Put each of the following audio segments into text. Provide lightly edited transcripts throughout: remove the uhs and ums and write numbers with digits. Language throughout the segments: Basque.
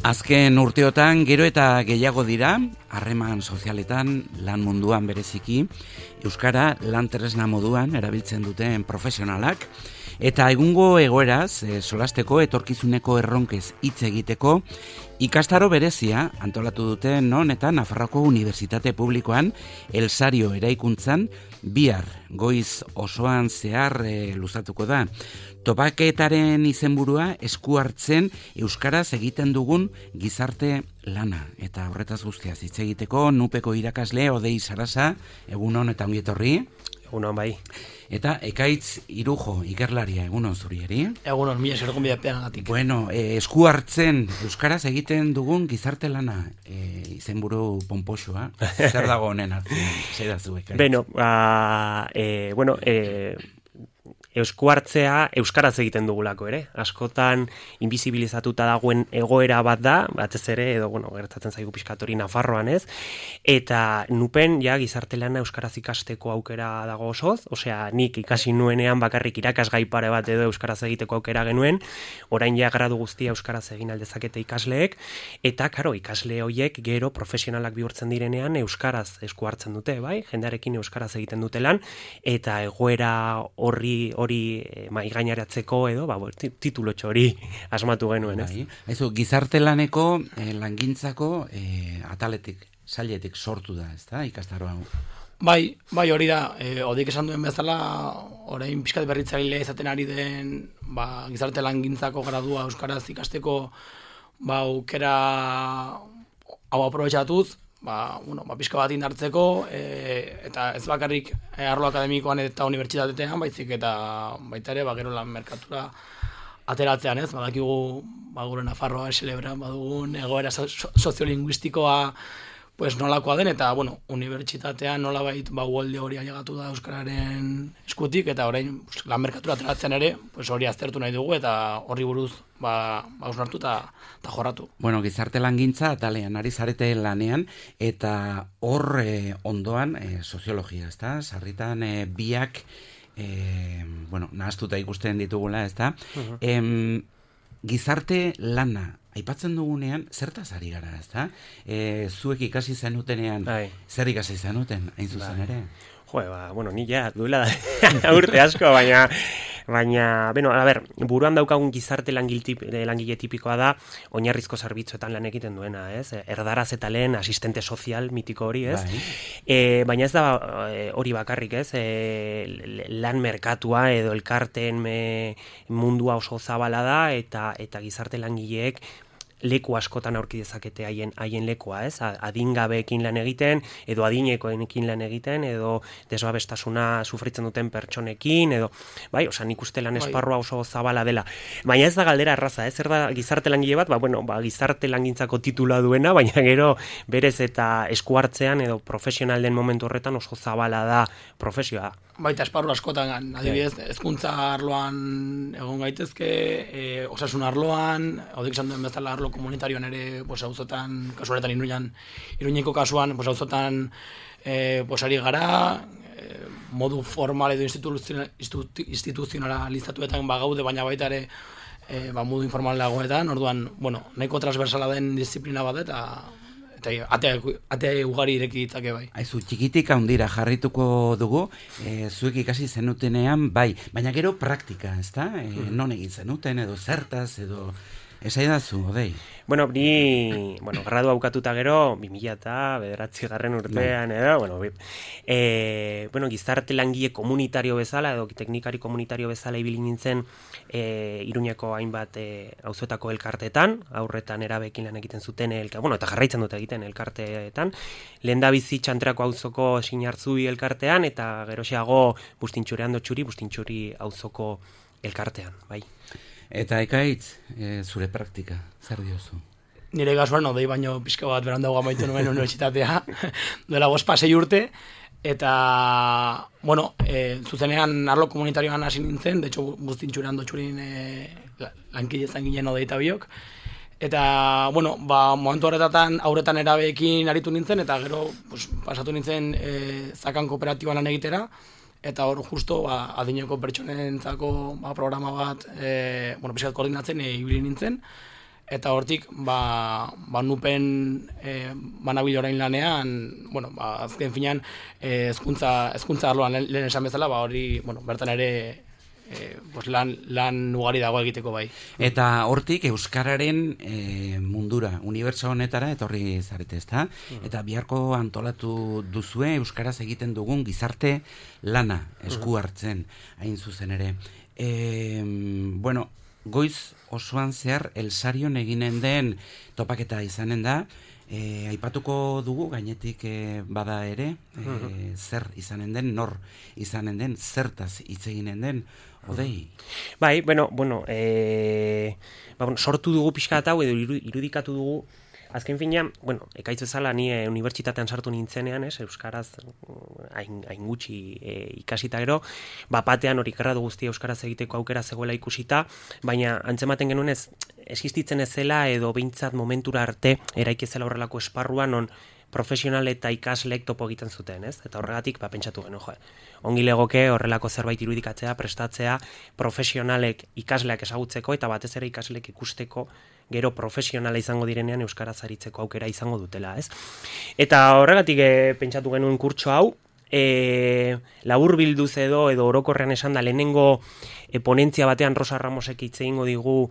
Azken urteotan gero eta gehiago dira, harreman sozialetan, lan munduan bereziki, euskara lan tresna moduan erabiltzen duten profesionalak, eta egungo egoeraz, solasteko etorkizuneko erronkez hitz egiteko, ikastaro berezia antolatu dute non eta Nafarroako Unibertsitate Publikoan Elsario eraikuntzan bihar goiz osoan zehar luzatuko da. Topaketaren izenburua esku hartzen euskaraz egiten dugun gizarte lana. Eta horretaz guztiaz hitz egiteko nupeko irakasle Odei Sarasa, egunon eta ongi etorri. Egunon bai. Eta Ekaitz Irujo, ikerlaria, egunon zurieri. Egunon, mila esker gonbidapeagatik. Bueno, esku hartzen euskaraz egiten dugun gizarte lana, izenburu ponpoxoa. Zer dago honen hartzen? Zer da zu, Ekaitz? Esku hartzea euskaraz egiten dugulako ere. Askotan invisibilizatuta dagoen egoera bat da, batez ere, edo, gertatzen zaigu pixkatori Nafarroan ez, eta nupen ja gizarte lana euskaraz ikasteko aukera dago osoz, osea, nik ikasi nuenean bakarrik irakasgai pare bat edo euskaraz egiteko aukera genuen, orain ja gradu guztia euskaraz egin aldezakete ikasleek, eta, karo, ikasle horiek gero profesionalak bihurtzen direnean euskaraz esku hartzen dute, bai? Jendearekin euskaraz egiten dute lan, eta egoera hori maigaineratzeko edo, titulotxo hori asmatu genuen, ez? Aizu, gizarte laneko langintzako ataletik, sailetik sortu da, ez da, ikastaro hau? Bai, hori da, Odeik esan duen bezala, orain pixkat berritzailea izaten ari den, gizarte langintzako gradua euskaraz ikasteko, aukera hau aprobetxatuz, pixka bat indartzeko, eta ez bakarrik arlo akademikoan eta unibertsitatean, baizik eta baita ere, gero lan merkatura ateratzean, ez? Badakigu, gure Nafarroa celebran badugun egoera soziolinguistikoa nolakoa den, eta, unibertsitatean nolabait uholde hori ailegatu da euskararen eskutik, eta orain lan merkatura ateratzen ere, hori aztertu nahi dugu, eta horri buruz hausnartu eta jorratu. Gizarte langintza atalean ari zarete lanean, eta hor ondoan soziologia, ez da? Sarritan biak, nahaztuta ikusten ditugula, ez da? Gizarte lana aipatzen dugunean, zertaz ari gara, ez da? Zuek ikasi zenutenean, zer ikasi zenuten, hain zuzen ere? Ni ja, duela urte asko, baina, buruan daukagun gizarte langile tipikoa da, oinarrizko zerbitzuetan lan egiten duena, ez? Erdaraz eta lehen asistente sozial mitiko hori, ez? Baina ez da hori bakarrik, ez? Lan merkatua edo elkarteen mundua oso zabala da, eta gizarte langileek leku askotan aurki dezakete haien lekua, ez? Adingabeekin lan egiten, edo adinekoekin lan egiten, edo desbabestasuna sufritzen duten pertsonekin, edo, nik uste lan esparrua oso zabala dela. Baina ez da galdera erraza, ez? Zer da gizarte langile bat, gizarte langintzako titula duena, baina gero berez eta esku hartzean, edo profesional den momentu horretan oso zabala da profesioa. Baita esparru askotan, adibidez, hezkuntza arloan egon gaitezke, osasun arloan, Odeik esan duen bezala arlo komunitarioan ere, auzotan, kasu honetan Iruñeko kasuan, auzotan ari gara, modu formal edo instituzionalizatuetan gaude, baina baita ere modu informalagoetan, orduan, nahiko transversala den disiplina bat eta ate ugari ireki ditzake bai. Aizu, txikitik handira jarrituko dugu, zuek ikasi zenutenean, baina gero praktika, ez da? Non egin zenuten, edo zertaz, edo esaidazu, Odei? Ni, gradu haukatuta gero, 2009 urtean, edo, gizarte langile komunitario bezala, edo teknikari komunitario bezala ibili nintzen Iruñeko hainbat auzoetako elkarteetan, aurretan erabekin lan egiten zuten, eta jarraitzen dute egiten elkarteetan, lehendabizi Txantrako auzoko Sinartzui elkartean, eta geroxeago Bustintxuri auzoko elkartean, bai. Eta Ekaitz, zure praktika, zer diozu? Nire kasuan, Odei baino pixka bat berandago amaitu nuen unibertsitatea, duela 5-6 urte, eta, zuzenean arlo komunitarioan hasi nintzen, de hecho, Bustintxurin lankide izan ginen Odei eta biok, eta, momentu horretatan aurretan erabeekin aritu nintzen, eta gero pasatu nintzen zakan kooperatiban lan egitera, eta hor justo adineko pertsonentzako programa bat pixkat koordinatzen ibili nintzen, eta hortik nupen banabil orain lanean, bueno, azken finean hezkuntza arloan lehen esan bezala, hori, bueno, bertan ere lan ugari dago egiteko bai. Eta hortik euskararen mundura, unibertso honetara etorri zarete, ezta? Eta biharko antolatu duzue euskaraz egiten dugun gizarte lana esku hartzen hain zuzen ere. Bueno, goiz osoan zehar Elsarion eginen den topaketa izanen da, aipatuko dugu gainetik bada ere, zer izanen den, nor izanen den, zertaz hitz eginen den, Odei. Bai, bueno, sortu dugu pixka hau edo irudikatu dugu. Azken finean, bueno, ekaitz bezala ni unibertsitatean sartu nintzenean, euskaraz hain gutxi ikasita gero, batean hori gradu guztia euskaraz egiteko aukera zegoela ikusita, baina antzematen genuen existitzen ez zela edo behintzat momentura arte eraiki zela horrelako esparruan non profesional eta ikasleek topo egiten zuten, ez? Eta horregatik pentsatu genuen, ongi legoke horrelako zerbait irudikatzea, prestatzea, profesionalek ikasleak ezagutzeko eta batez ere ikasleek ikusteko gero profesionala izango direnean euskaraz aritzeko aukera izango dutela, ez? Eta horregatik pentsatu genuen kurtso hau, laburbilduz edo orokorrean esan da lehenengo ponentzia batean Rosa Ramosek hitz egingo digu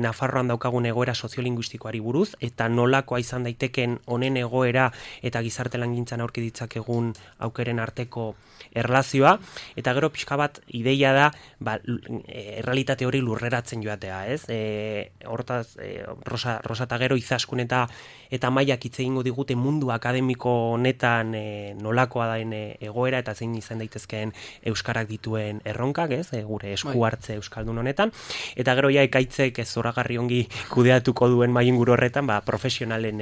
Nafarroan daukagun egoera soziolinguistikoari buruz, eta nolakoa izan daiteken honen egoera eta gizarte langintzan aurki ditzakegun aukeren arteko erlazioa, eta gero pixka bat ideia da errealitate hori lurreratzen joatea, ez? Hortaz, Rosa eta gero Izaskun eta Maiak hitz egingo digute mundu akademiko honetan nolakoa daen egoera eta zein izan daitezkeen euskarak dituen erronkak, ez? Gure esku hartze euskaldun honetan, eta gero ekaitzek zoragarri ongi kudeatuko duen mainguru horretan, profesionalen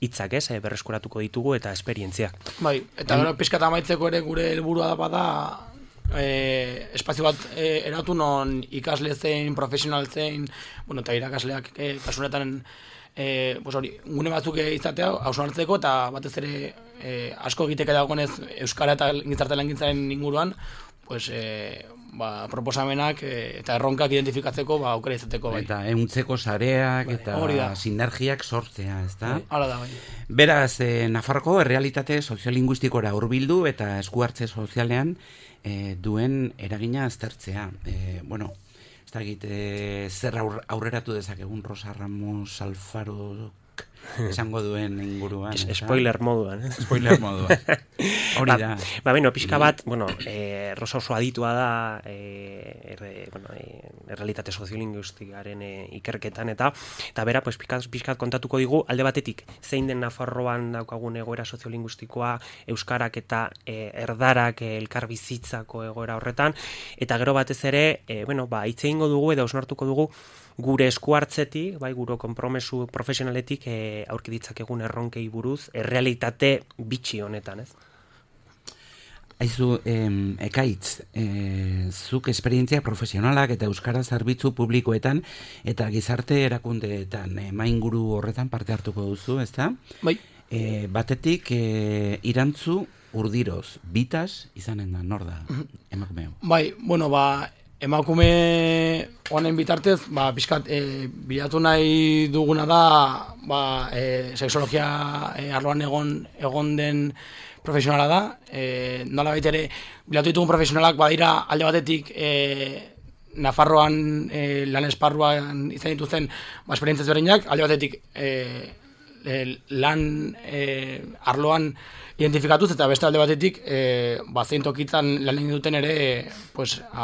hitzak, berreskuratuko ditugu eta esperientziak. Bai, eta gero pixka eta amaitzeko ere gure helburua bada espazio bat eratu non ikasle zein, profesional zein, bueno, eta irakasleak kasunetan gune batzuk izatea hausnartzeko eta batez ere asko egiteke dagoenez euskara eta gizarte langintzaren inguruan, proposamenak eta erronkak identifikatzeko aukera izateko bai. Eta ehuntzeko sareak eta sinergiak sortzea, ezta? Hala da, bai. Beraz, Nafarroko errealitate soziolinguistikora hurbildu eta esku hartze sozialean duen eragina aztertzea. Bueno, ez da zer aurreratu dezakegun Rosa Ramos Alfaro esango duen inguruan. Spoiler moduan. Spoiler moduan. Hori da. Pixka bat, Rosa oso aditua da errealitate soziolinguistikaren ikerketan eta bera, pixkat kontatuko digu, alde batetik, zein den Nafarroan daukagun egoera soziolinguistikoa, euskarak eta erdarak elkarbizitzako egoera horretan, eta gero batez ere, hitz egingo dugu edo osnartuko dugu gure esku hartzetik, gure konpromesu profesionaletik aurki ditzakegun erronkei buruz, errealitate bitxi honetan, ez? Aizu, Ekaitz, zuk esperientzia profesionalak eta euskara zerbitzu publikoetan eta gizarte erakundeetan mainguru horretan parte hartuko duzu, ezta? Bai. Batetik, Irantzu Urdiroz, Bitas izanen da, nor da, emakumeo? Bai, emakume honen bitartez, pixkat bilatu nahi duguna da, sexologia arloan egon den profesionala da, nola baitere bilatu ditugun profesionalak badira alde batetik Nafarroan lan esparruan izan dituzten esperientzia ezberdinak, alde batetik lan arloan identifikatuz eta beste alde batetik zein tokitan lan egin duten ere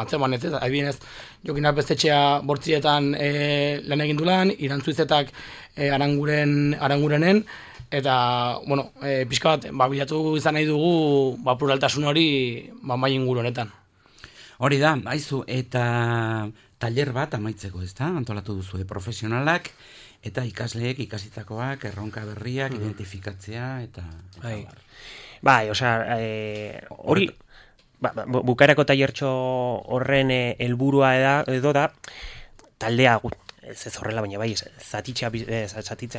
atzeman ez, adibidez Jokin Arpestetxea Bortzietan lan egin du lan, Irantzuizetak Arangurenen, eta, pixka bat, bilatu izan nahi dugu pluraltasun hori mai inguru honetan. Hori da, aizu, eta taller bat amaitzeko, ezta? Antolatu duzu, profesionalak eta ikasleek ikasitakoak, erronka berriak, identifikatzea, eta... hori, bukaerako tallertxo horren helburua edo da, taldea ez horrela, baina zatitzea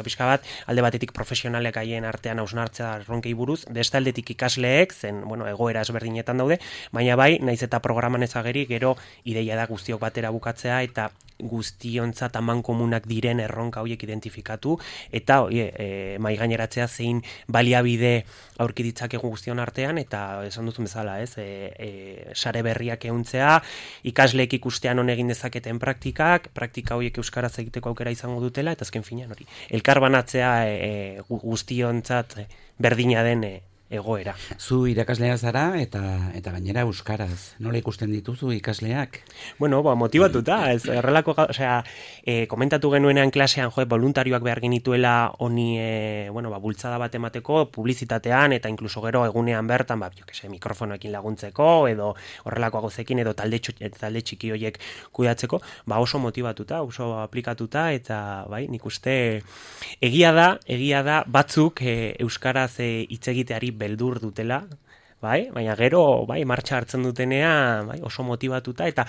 pixka bat, alde batetik profesionalek haien artean hausnartzea erronkei buruz, beste aldetik ikasleek, zen, egoera ezberdinetan daude, baina naiz eta programan ezageri, gero ideia da guztiok batera bukatzea, eta guztiontzat amankomunak diren erronka horiek identifikatu, eta mai gaineratzea zein baliabide aurki ditzakegu guztion artean, eta esan duzun bezala, ez? Sare berriak ehuntzea, ikasleek ikustean on egin dezaketen praktika horiek euskaraz egiteko aukera izango dutela, eta azken finean hori. Elkarbanatzea guztiontzat berdina den egoera. Zu irakaslea zara eta gainera euskaraz. Nola ikusten dituzu ikasleak? Bueno, motibatuta, ez errelako, komentatu genuenean klasean, voluntarioak behar genituela honi, bultzada bat emateko, publizitatean eta inkluso gero egunean bertan, mikrofonoekin laguntzeko edo horrelako gozekin edo talde txiki horiek kudeatzeko, oso motibatuta, oso aplikatuta, eta nik uste egia da batzuk euskaraz hitz egiteari beldur dutela, baina gero martxa hartzen dutenea oso motibatuta, eta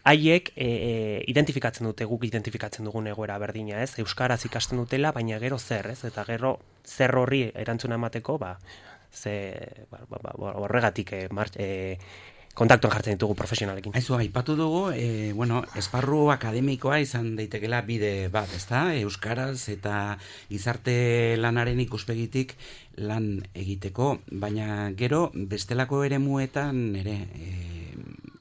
haiek identifikatzen dute, guk identifikatzen dugun egoera berdina, ez? Euskaraz ikasten dutela, baina gero zer, ez? Eta gero zer horri erantzuna emateko, horregatik kontaktuan jartzen ditugu profesionalekin. Aizu, aipatu dugu, esparru akademikoa izan daitekela bide bat, ezta? Euskaraz eta gizarte lanaren ikuspegitik lan egiteko, baina gero bestelako eremuetan ere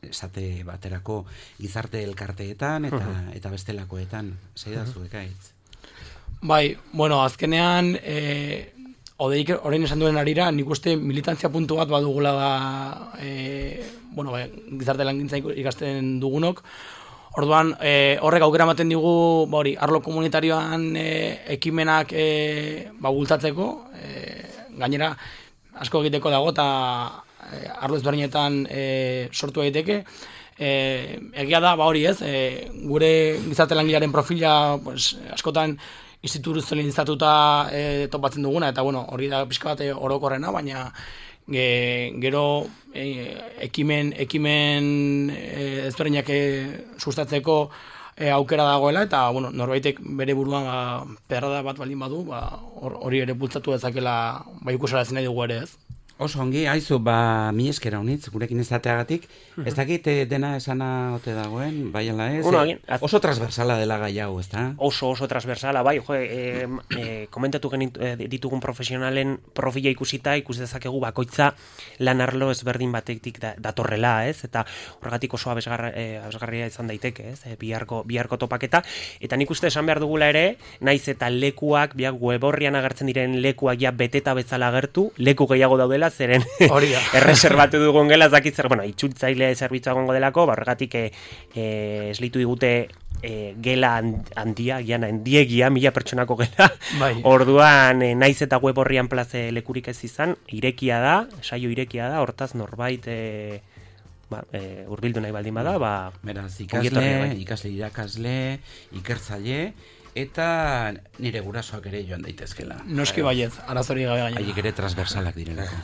esate baterako gizarte elkarteetan eta bestelakoetan, zeidazu ekaitz? Azkenean Odeik orain esan duen arira, nik uste militantzia puntu bat badugula gizarte langintza ikasten dugunok. Orduan, horrek aukera ematen digu, arlo komunitarioan ekimenak bultzatzeko, gainera asko egiteko dago eta arlo ezberdinetan sortu daiteke. Egia da, hori ez, gure gizarte langilearen profila askotan instituzionalizatuta topatzen duguna, eta hori da pixka bat orokorrena, baina gero ekimen ezberdinak sustatzeko aukera dagoela, eta norbaitek bere buruan perrada bat baldin badu, hori ere bultzatu dezakela ikusarazi nahi dugu ere ez. Oso ongi, aizu, mi eskera honitz, gurekin izateagatik, ez dakit dena esana ote dagoen, bai ala ez? Oso transversala dela gai hau, ez da? Oso transversala, komentatu ditugun profesionalen profila ikusita, ikus dezakegu bakoitza lan arlo ezberdin batetik datorrela, ez? Eta horregatik oso abesgarria izan daiteke, ez? Biharko topaketa, eta nik uste esan behar dugula ere, naiz eta lekuak, web horrian agertzen diren lekuak beteta bezala agertu, leku gehiago daudela, zeren erreserbatu dugun gela, zakitzer, itxultzaile zerbitzua gongo delako, horregatik eslitu digute gela handia, handiegia, 1000 pertsonako gela. Orduan, naiz eta web horrian plaze lekurik ez izan, saio irekia da, hortaz norbait hurbildu nahi baldin bada, beraz, ikasle, irakasle, ikertzaile, eta nire gurasoak ere joan daitezkela. Noski baiet, arazori gabe gainera. Haiek ere transversalak direlako.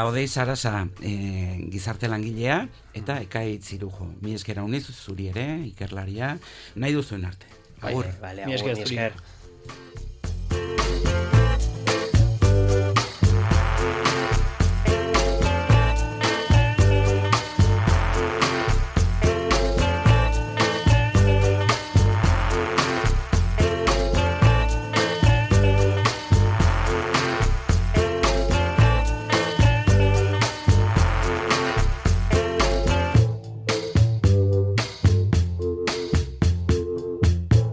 Odei Sarasa gizarte langilea, eta Ekaitz Irujo. Mi esker hauniz, zuri ere, ikerlaria, nahi duzuen arte. Agur. Mi esker.